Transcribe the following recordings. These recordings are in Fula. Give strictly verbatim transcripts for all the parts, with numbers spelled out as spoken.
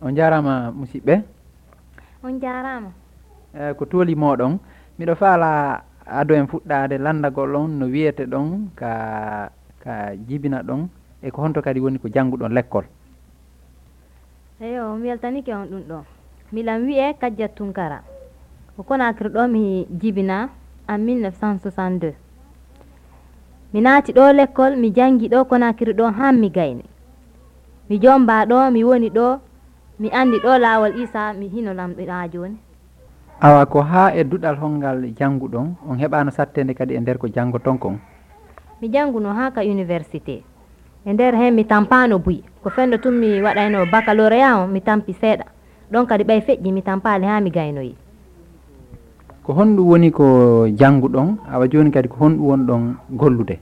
On njaaraama, musidɓe. On njaaraama. Eh, ko tooli mooɗon. Miɗo faala ado en fuɗɗaade lanndagol on no wiyete ɗon ka, ka jibina ɗon, e ko honto kadi woni ko jannguɗon lekkol. Eyo, mi weltanike on ɗum ɗo. Milan wi'e Kajjat Tunkara. Ko Konakiri ɗo mi jibina en mille neuf cent soixante-deux. Mi naati ɗo lekkol, mi janngi ɗo Konakiri ɗo haa mi gayni. Mi jomba ɗo, mi woni ɗo, mi anndi ɗo laawol Isa, mi hino lamɗo haa jooni. Awa, ko haa e duɗal hongal jannguɗon, on heɓaano satteende kadi e nder ko janngoton kon? Mi jannguno haa ka université. E nder heen mi tampaano buy. Ko fenndo tun mi waɗayno baccalauréat on, mi tampi seeɗa. Ɗon kadi ɓay feƴƴi mi tampaali haa mi gaynoyi. Ko honɗum woni ko jannguɗon? Awa jooni kadi ko honɗum wonɗon gollude?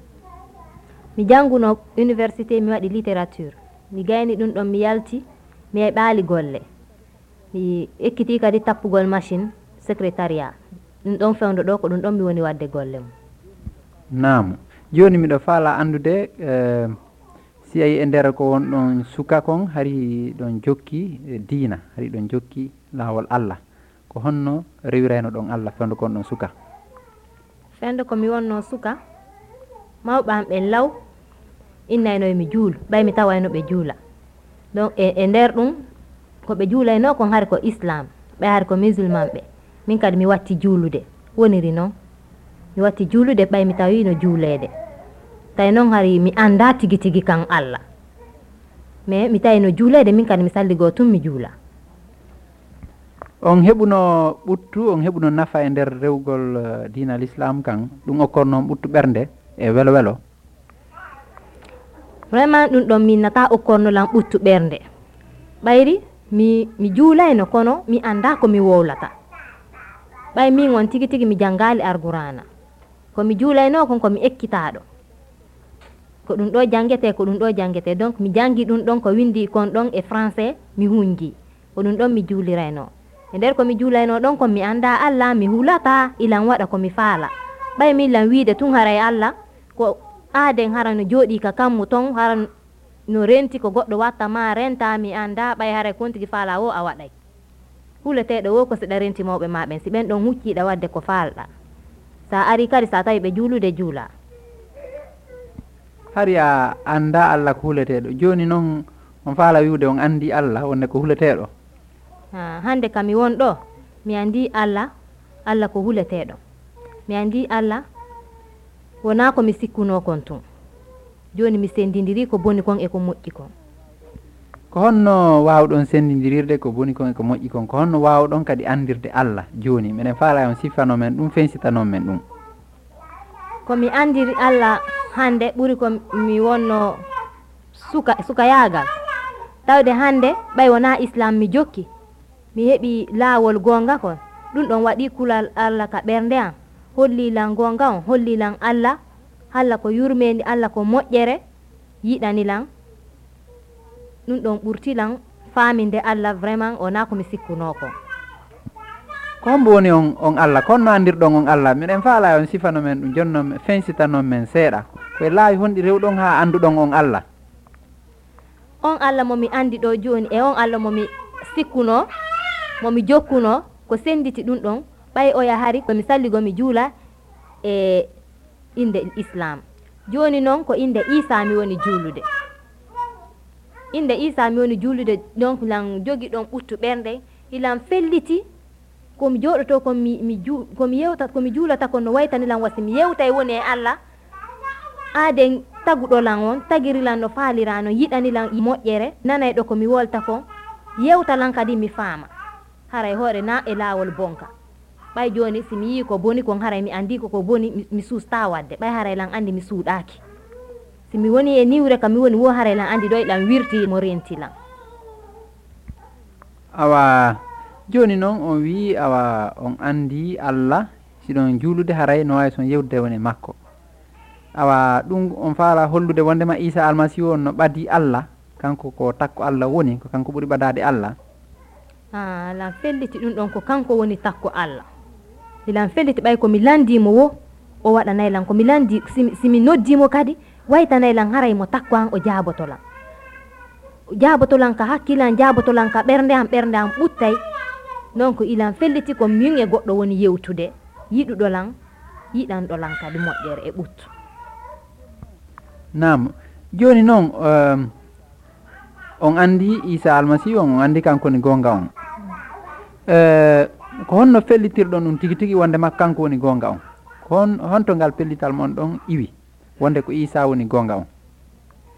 Mi jannguno université, mi waɗi littérature. Mi gayni ɗum ɗon, mi yalti, mi heɓaali golle. Mi ekkitii kadi tappugol machine secrétariat. Ɗum ɗon fewndo ɗo, ko ɗum ɗon mi woni waɗde golle mum. Naam. Jooni miɗo faala anndude, eh, si a yi e nder ko wonɗon suka kon, hari ɗon jokki, eh, diina, hari ɗon jokki laawol Allah. Ko honno rewirayno ɗon Allah fewndo kon ɗon suka? Fewndo ko mi wonno suka, mawɓe am ɓen law innayno mi juulu, ɓay mi tawayno ɓe juula. Donc, e, e nder ɗum, ko ɓe juulayno kon hari ko Islam, ɓay hari ko musulman ɓe. Min kadi mi watti juulude, woniri non. Mi watti juulude ɓay mi tawino juuleede. Tawi non hari mi annda tigi tigi kan Allah. Mais mi tawino juuleede, min kadi mi salligoo tun mi juula. On heɓuno ɓuttu, on heɓuno nafa e nder rewgol, eh, diina l'islam kan, ɗum okkorno on ɓuttu ɓernde e welo welo? Vraiment, ɗum ɗon mi nata okkorno lan ɓuttu ɓernde. Ɓayri mi, mi juulayno, kono mi annda ko mi wowlata. Ɓay min on tigi tigi mi janngaali Alqur'aana. Ko mi juulayno kon ko mi ekkitaaɗo. Ko ɗum ɗo janngete, ko ɗum ɗo janngete. Donc, mi janngi ɗum ɗon ko winndi kon ɗon e français, mi hunji. Ko ɗum ɗon mi juulirayno. E nder ko mi juulayno ɗon kon mi annda Allah, mi hulata, ilan waɗa ko mi faala. Ɓay min lan wiide tun haray Allah, ko aaden hara no jooɗii ka kammu ton, hara no renti ko goɗɗo watta ma renta, mi annda, ɓay haray kon tigi faala wo a waɗay. Huleteeɗo wo ko si ɗa renti mawɓe ma ɓen, si ɓen ɗon huccii ɗa waɗde ko faalɗa. Sa ari kadi, sa tawi ɓe juulude, juula. Hari a annda Allah ko huleteeɗo. Jooni non, on faala wi'ude on anndi Allah, wonde ko huleteeɗo? Ha, hannde ka mi won ɗo, mi anndi Allah, Allah ko huleteeɗo. Mi anndi Allah, wonaa ko mi sikkunoo kon tun. Jooni mi senndindirii ko boni kon e ko moƴƴi kon. Ko honno waawɗon senndindirirde ko boni kon e ko moƴƴi kon? Ko honno waawɗon kadi anndirde Allah jooni? Miɗen faalaa on siffanoo men ɗum, fensitanon men ɗum. Ko mi anndiri Allah hannde ɓuri ko mi wonno suka, sukayaagal. Tawde hannde ɓay wonaa Islam mi jokki, mi heɓi laawol goonga kon. Ɗum ɗon waɗi kulal Allah ka ɓernde am. Holli lan goonga on, holli lan Allah, Allah ko yurmeende, Allah ko moƴƴere, yiɗani lan. Ɗum ɗon ɓurti lan faaminde Allah, vraiment, wonaa ko mi sikkunoo kon. Ko hombo woni on, on Allah? Ko honno anndirɗon on Allah? Miɗen faalaa on sifano men ɗum, jonnon men, fensitanon men seeɗa. Ko e laawi honɗi rewɗon haa annduɗon on Allah? On Allah mo mi anndi ɗo jooni e on Allah mo mi sikkunoo, mo mi jokkunoo, ko sennditi ɗum ɗon, ɓay oya hari ko mi salligo mi juula e innde Islam. Jooni non ko innde Iisaa mi woni juulude. Innde Iisaa mi woni juulude, donc lan jogi ɗon ɓuttu ɓernde, ilan felliti. Ko mi jooɗotoo, ko mi, mi ju-, ko mi yewta, ko mi juulata, ko no waytani lan wasi mi yewtay woni e Allah. Aaden taguɗo lan on, tagiri lan no faalira non, yiɗani lan moƴƴere, nanay ɗo ko mi wolta kon, yewta lan kadi mi faama. Haray hoore na e laawol bonka. Ɓay jooni si mi yii ko boni kon, haray mi anndi ko ko boni, mi, mi suustaa waɗde. Ɓay haray lan anndi mi suuɗaaki. Si mi woni e niwre ka mi woni wo, haray lan anndi ɗoy lan wirti mo renti lan. Awa, jooni non on wi'i, awa, on anndi Allah, si ɗon juulude, haray no waawi son yewtude woni e makko. Awa, ɗum on faalaa hollude wondema Iisaa Almasiihu on no ɓadii Allah, kanko ko takko Allah woni, ko kanko ɓuri ɓadaade Allah? Ah, lan felliti ɗum ɗon ko kanko woni takko Allah. Ilan felliti ɓay ko mi lanndii mo wo, o waɗanay lan. Ko mi lanndii, si mi, si mi noddii mo kadi, waytanay lan haray mo takko an, o jaaboto lan. Jaaboto lan ka hakkille an, jaaboto lan ka ɓernde an, ɓernde an ɓuttay. Non ko ilan felliti ko min e goɗɗo woni yewtude, yiɗuɗo lan, yiɗanɗo lan kadi moƴƴere e ɓuttu. Naam. Jooni noon, ehm, on anndi Iisaa Almasiihu on, on anndi kanko woni goonga on. Eh, ko honno fellitirɗon ɗum tigi tigi wonde makko kanko woni goonga on? Ko hon, honto ngal pellital mon ɗon iwi wonde ko Iisaa woni goonga on?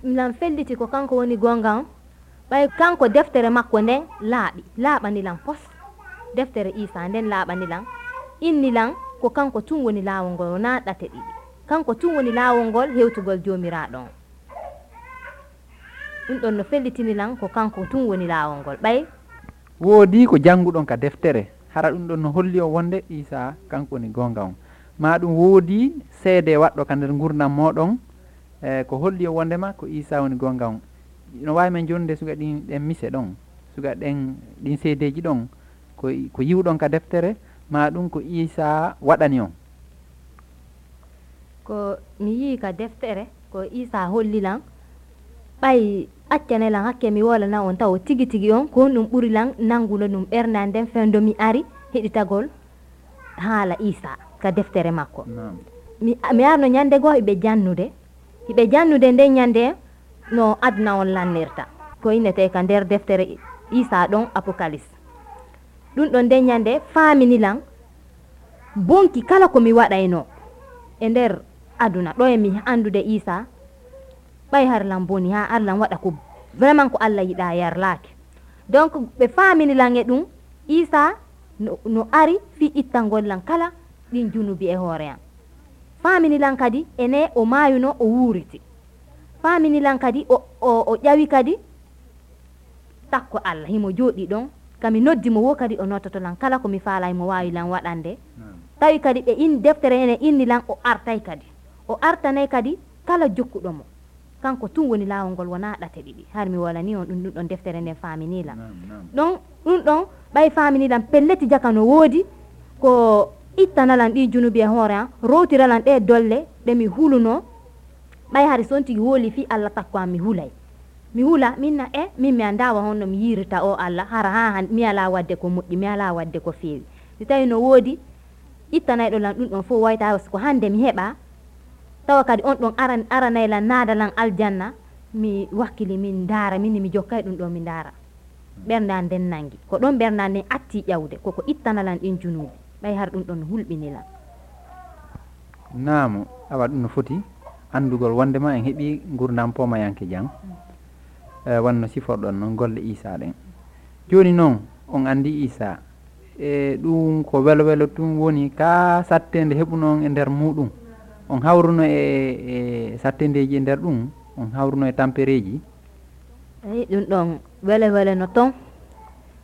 Milan felliti ko kanko woni goonga on, ɓay kanko deftere makko nden laaɓi, laaɓani lan pos. Deftere Iisaa nden laaɓani lan, inni lan ko kanko tun woni laawol ngol, wonaa ɗate ɗiɗi. Kanko tun woni laawol ngol hewtugol Joomiraaɗo on. Ɗum ɗon no fellitini lan ko kanko tun woni laawol ngol. Ɓay. Woodii ko jannguɗon ka deftere, hara ɗum ɗon no holli on wonde Iisaa kanko woni goonga on. Maa ɗum woodii seede waɗɗo ka nder ngurndan mooɗon, e ko holli on wondema ko Iisaa woni goonga on. No waawi men jonnude suga ɗin, ɗen mise ɗon, suga ɗen, ɗin seedeeji ɗon, ko, ko yiwɗon ka deftere, maa ɗum ko Iisaa waɗani on? Ko mi yii ka deftere, ko Iisaa holli lan, ɓay accane lan hakke mi wolana on tawo tigi tigi on, ko honɗum ɓuri lan nannguno ɗum ɓernde an nden fewndo mi ari heɗitagol haala Iisaa ka deftere makko. Naam. Mi, mi arno ñande goo hiɓe jannude, hiɓe jannude nden ñande no aduna on lannirta. Ko innetee ka nder deftere Iisaa ɗon, Apokalis. Ɗum ɗon nden ñande faamini lan bonki kala ko mi waɗaynoo e nder aduna, ɗo e mi anndude Iisaa, ɓay har lan boni, haa ar lan waɗa ko vraiment ko Alla yiɗaa yarlaaki. Donc, ɓe faamini lan e ɗum, Iisaa no, no ari fii ittangol lan kala ɗin junubi e hoore an. Faamini lan kadi, ene o maayuno, o wuuriti. Faamini lan kadi, o, o, o ƴawi kadi, takko Alla, himo jooɗii ɗon. Ka mi noddi mo woo kadi, o nottoto lan kala ko mi faalaa, himo waawi lan waɗande. Naam. Tawi kadi ɓe in, deftere ene inni lan, o artay kadi. O artanay kadi kala jokkuɗo mo. Kanko tun woni laawol ngol, wonaa ɗate ɗiɗi. Har mi wolanii on ɗum, ɗum ɗon deftere nden faaminii lan. Naam, naam. Ɗon, ɗum ɗon, ɓay faaminii lan, pelleti jaka no woodi, ko ittana lan ɗii junubi e hoore an, rowtira lan ɗee dolle ɗe mi hulunoo, ɓay hari so on tigi hoolii fii Alla takko an, mi hulay. Mi hula, min na, e, min mi anndaa wa honno mi yiirta oo Alla, hara haa han, mi alaa waɗde ko moƴƴi, mi alaa waɗde ko feewi. Si tawii no woodi ittanayɗo lan ɗum ɗon fow, wayta ko hannde mi heɓa, tawa kadi on ɗon aran-, aranay lan, naada lan aljanna, mi wakkili min ndaara, min mi jokkay ɗum ɗoo mi ndaara. Ɓernde an nden nangi. Ko ɗon ɓernde an nden atti ƴawde, koko ittana lan ɗin junuubi. Ɓay har ɗum ɗon hulɓini lan. Naamu, awa ɗum no foti anndugol wonndema en heɓii ngurndan poomayanke jam, e, wonno siforɗon non golle Iisaa ɗen. Jooni non, on anndi Iisaa, e, ɗum ko welo welo tun woni ka satteende heɓuno on e nder muuɗum. On hawruno e, e satteendeeji e nder ɗum, on hawruno e tampereeji. Eyi, ɗum ɗon welo welo no ton.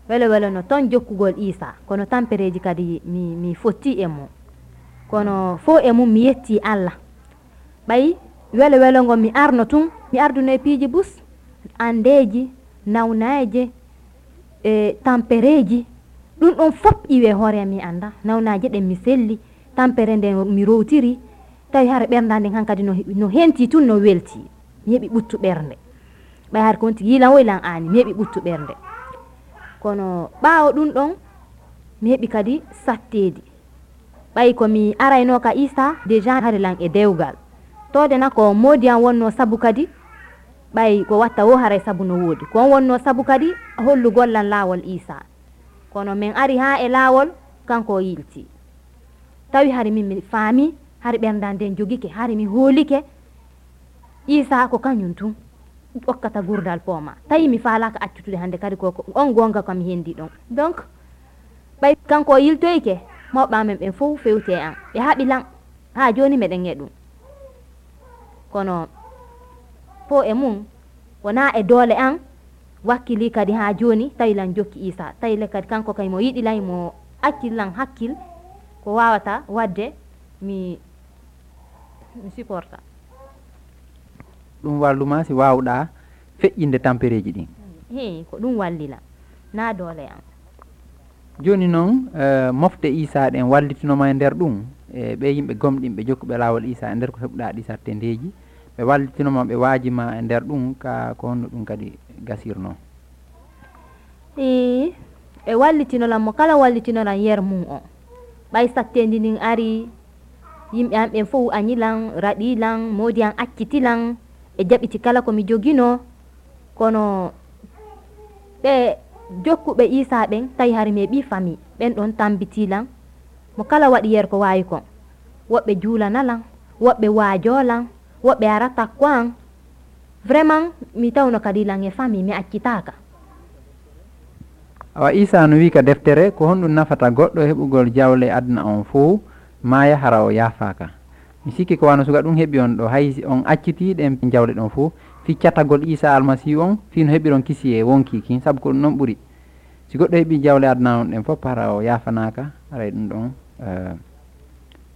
Welo welo no ton jokkugol Iisaa, kono tampereeji kadi mi, mi fotti e mum. Kono fow e mum mi yetti Alla. Ɓay welo welo ngo mi arno tun, mi arduno e piiji bus, anndeeji, nawnaaje, e tampereeji. Ɗum ɗon fop iwe hoore mi annda. Nawnaaje ɗen mi selli, tampere nden mi rowtiri. Tawi hara ɓernda nden hankadi no, no henti tun, no welti. Mi heɓi ɓuttu ɓernde. Ɓay har kon tigi yilan woy lan aani, mi heɓi ɓuttu ɓernde. Kono ɓaawo ɗum ɗon, mi heɓi kadi satteedi. Ɓay ko mi arayno ka Iisaa, déjà hari lan e dewgal. Toode na ko moodi an wonno sabu kadi, ɓay ko watta wo haray sabu no woodi. Ko on wonno sabu kadi hollugol lan laawol Iisaa. Kono men ari haa e laawol, kanko o yilti. Tawi hari min mi faami, hari ɓernda nden jogike, hari mi hoolike, Iisaa ko kañum tun okkata gurdal pooma. Tawi mi faalaaka accutude hannde kadi ko, ko on goonga ko mi hendi ɗon. Donc, ɓay kanko o yiltoyke, mawɓe amen ɓen fow fewti e an. Ɓe haɓi lan. Haa jooni meɗen e ɗum. Kono fow e mum, wonaa e doole an, wakkili kadi haa jooni, tawi lan jokki Iisaa. Tawi le kadi kanko kay mo yiɗi lan, mo accil lan hakkil, ko waawata waɗde, mi, mi supporta. Ɗum walluma si waawɗaa feƴƴinde tampereeji ɗin? Hee, ko ɗum walli lan, naa doole an. Jooni noon, eh, mofte Iisaa ɗen wallitino ma e nder ɗum, e ɓee yimɓe gomɗinɓe jokkuɓe laawol Iisaa e nder ko heɓuɗaa ɗi sattendeeji, Ɓe wallitino ma, ɓe waaji ma e nder ɗum, ka ko honno ɗum kadi gasirnoo? Ii, ɓe wallitino lan mo kala wallitino lan yer mum on. Ɓay satteendi ndin ari, yimɓe an ɓen fow añi lan, raɗii lan, moodi an acciti lan, ɓe jaɓiti kala ko mi joginoo. Kono ɓe jokkuɓe Iisaa ɓen, tawi hari mi heɓii famii, ɓen ɗon tambitii lan. Mo kala waɗi yer ko waawi kon. Woɓɓe juulana lan, woɓɓe waajoo lan, woɓɓe ara takko an. Vraiment, mi tawno kadi lan e famii, mi accitaaka. Awa, Iisaa no wi'i ka deftere, ko honɗum nafata goɗɗo heɓugol jawle aduna on fow, maaya hara o yaafaaka? Mi sikki ko wano suka ɗum heɓi on ɗo, hay si on accitii ɗen jawle ɗon fow, fii catagol Iisaa Almasiihu on, fii no heɓiron kisiyee wonkii kin, sabu ko ɗum non ɓuri. Si goɗɗo heɓii jawle aduna on ɗen fow, hara o yaafanaaka, haray ɗum ɗon, eh,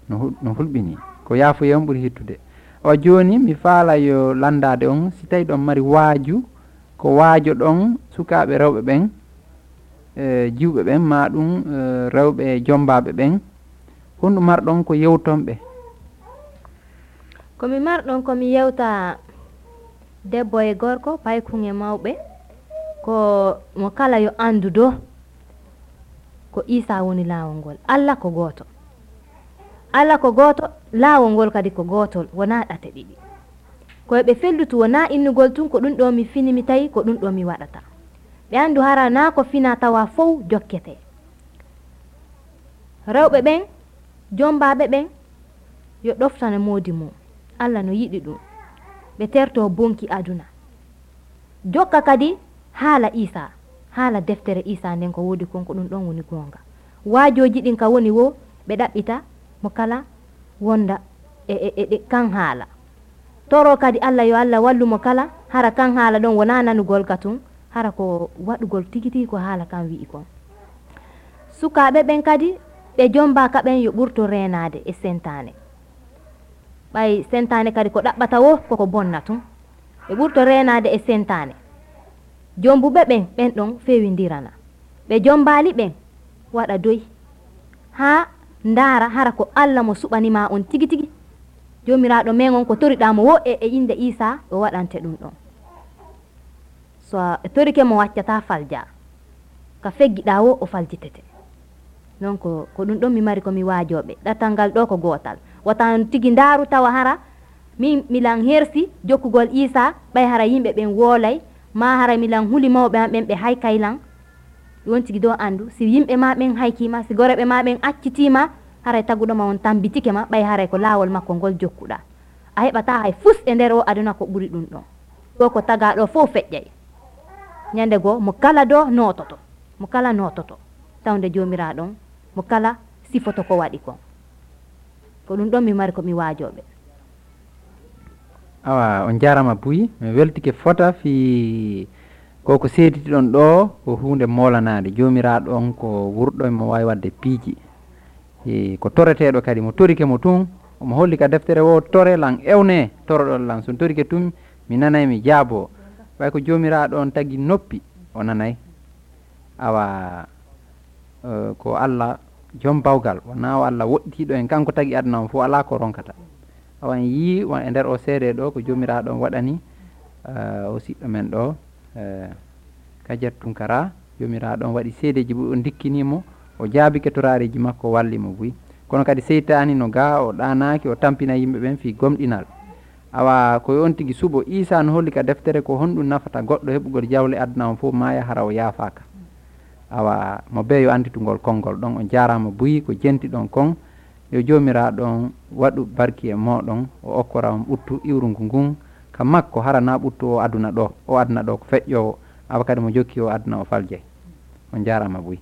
no hul-, no hulɓinii. Ko yaafuyee on ɓuri hittude. Awa jooni, mi faala yo lanndaade on, si tawi ɗon mari waaju, ko waajoɗon sukaaɓe rewɓe ɓen, e jiwɓe ɓen, maa ɗum, e rewɓe jommbaaɓe ɓen, honɗum marɗon ko yewton ɓe? Ko mi marɗon ko mi yewta debbo e gorko, paykun e mawɓe, ko mo kala yo anndu do ko Iisaa woni laawol ngol. Alla ko gooto. Alla ko gooto, laawol ngol kadi ko gootol, wonaa ɗate ɗiɗi. Ko e ɓe fellutu wonaa innugol tun, ko ɗum ɗoo mi fini, mi tawi ko ɗum ɗoo mi waɗata. Ɓe anndu hara naa ko finaa tawaa fow jokkete. Rewɓe ɓen, jommbaaɓe ɓen, yo ɗoftane moodi mum. Alla no yiɗi ɗum. Ɓe tertoo bonki aduna. Jokka kadi haala Iisaa, haala deftere Iisaa nden ko woodi kon, ko ɗum ɗon woni goonga. Waajooji ɗin ka woni woo, ɓe ɗaɓɓita mo kala wonda e, e, e, e kan haala. Toroo kadi Alla, yo Alla wallu mo kala, hara kan haala ɗon wonaa nanugol ka tun, hara ko waɗugol tigi tigi ko haala kan wi'i kon. Sukaaɓe ɓen kadi, ɓe jommbaaka ɓen yo ɓurto reenaade e sentaane. Ɓay sentaane kadi ko ɗaɓɓata woo, koko bonna tun. Ɓe ɓurto reenaade e sentaane. Jommbuɓe ɓen, ɓen ɗon feewindirana. Ɓe jommbaali ɓen, waɗa doy. Haa ndaara hara ko Alla mo suɓani ma on tigi tigi. Joomiraaɗo men on, ko toriɗaa mo woo e, e innde Iisaa, o waɗante ɗum ɗon. So a torike mo, waccataa faljaa. Ka feggiɗaa woo, o faljitete. Donc, ko ɗum ɗon mi mari ko mi waajoo ɓe. Ɗatal ngal ɗoo ko gootal. Wota on tigi ndaaru tawa hara min milan hersi jokkugol Iisaa, ɓay hara yimɓe ɓen woolay, maa hara milan huli mawɓe an ɓen ɓe haykay lan. Ɗum on tigi ɗoo anndu, si yimɓe maa ɓen haykii ma, si goreeɓe maa ɓen accitii ma, haray taguɗo ma on tammbitike ma, ɓay haray ko laawol makko ngol jokkuɗaa. A heɓataa hay fus e nder oo aduna ko ɓuri ɗum ɗon. Ɗoo ko tagaa ɗoo fow feƴƴay. Ñande goo, mo kala ɗoo noototo, mo kala noototo, tawnde Joomiraaɗo on, mo kala sifoto ko waɗi kon. Ko ɗum ɗon mi mari ko mi waajoo ɓe. Awa, on jaaraama buy, mi weltike fota fii ko ko seeditiɗon ɗoo, ko huunde moolanaande. Joomiraaɗo on ko wurɗo, mo waawi waɗde piiji. E, ko toreteeɗo kadi, mo torike mo tun, omo holli ka deftere woo, "Tore lan, ewne, toroɗon lan. So on torike tun, mi nanay, mi jaaboo." Ɓay ko Joomiraaɗo on tagi noppi, o nanay. Awa, eh, ko Alla jom bawgal, wonaa o Alla woɗɗitiiɗo en, kanko tagi aduna on fow, alaa ko ronkata. Awa en yii, won e nder o seede ɗoo, ko Joomiraaɗo on waɗani, eh, o siɗɗo men ɗoo, eh, Kadiata Tunkara, Joomiraaɗo on waɗi seedeeji buy, o ndikkinii mo, o jaabike toraareeji makko, o walli mo buy. Kono kadi seytaani no gaa, o ɗaanaaki, o tampina yimɓe ɓen fii gomɗinal. Awa, ko yo on tigi suɓo. Iisaa no holli ka deftere ko honɗum nafata goɗɗo heɓugol jawle aduna on fow, maaya hara o yaafaaka. Awa, mo bee yo anditu ngol konngol ɗon. On jaaraama buy ko jentiɗon kon. Yo Joomiraaɗo on waɗu barki e mooɗon, o okkora on ɓuttu iwrungu ngun ka makko, hara naa ɓuttu o aduna ɗoo. O aduna ɗoo ko feƴƴoowo, awa kadi mo jokki o aduna o faljay. On jaaraama buy.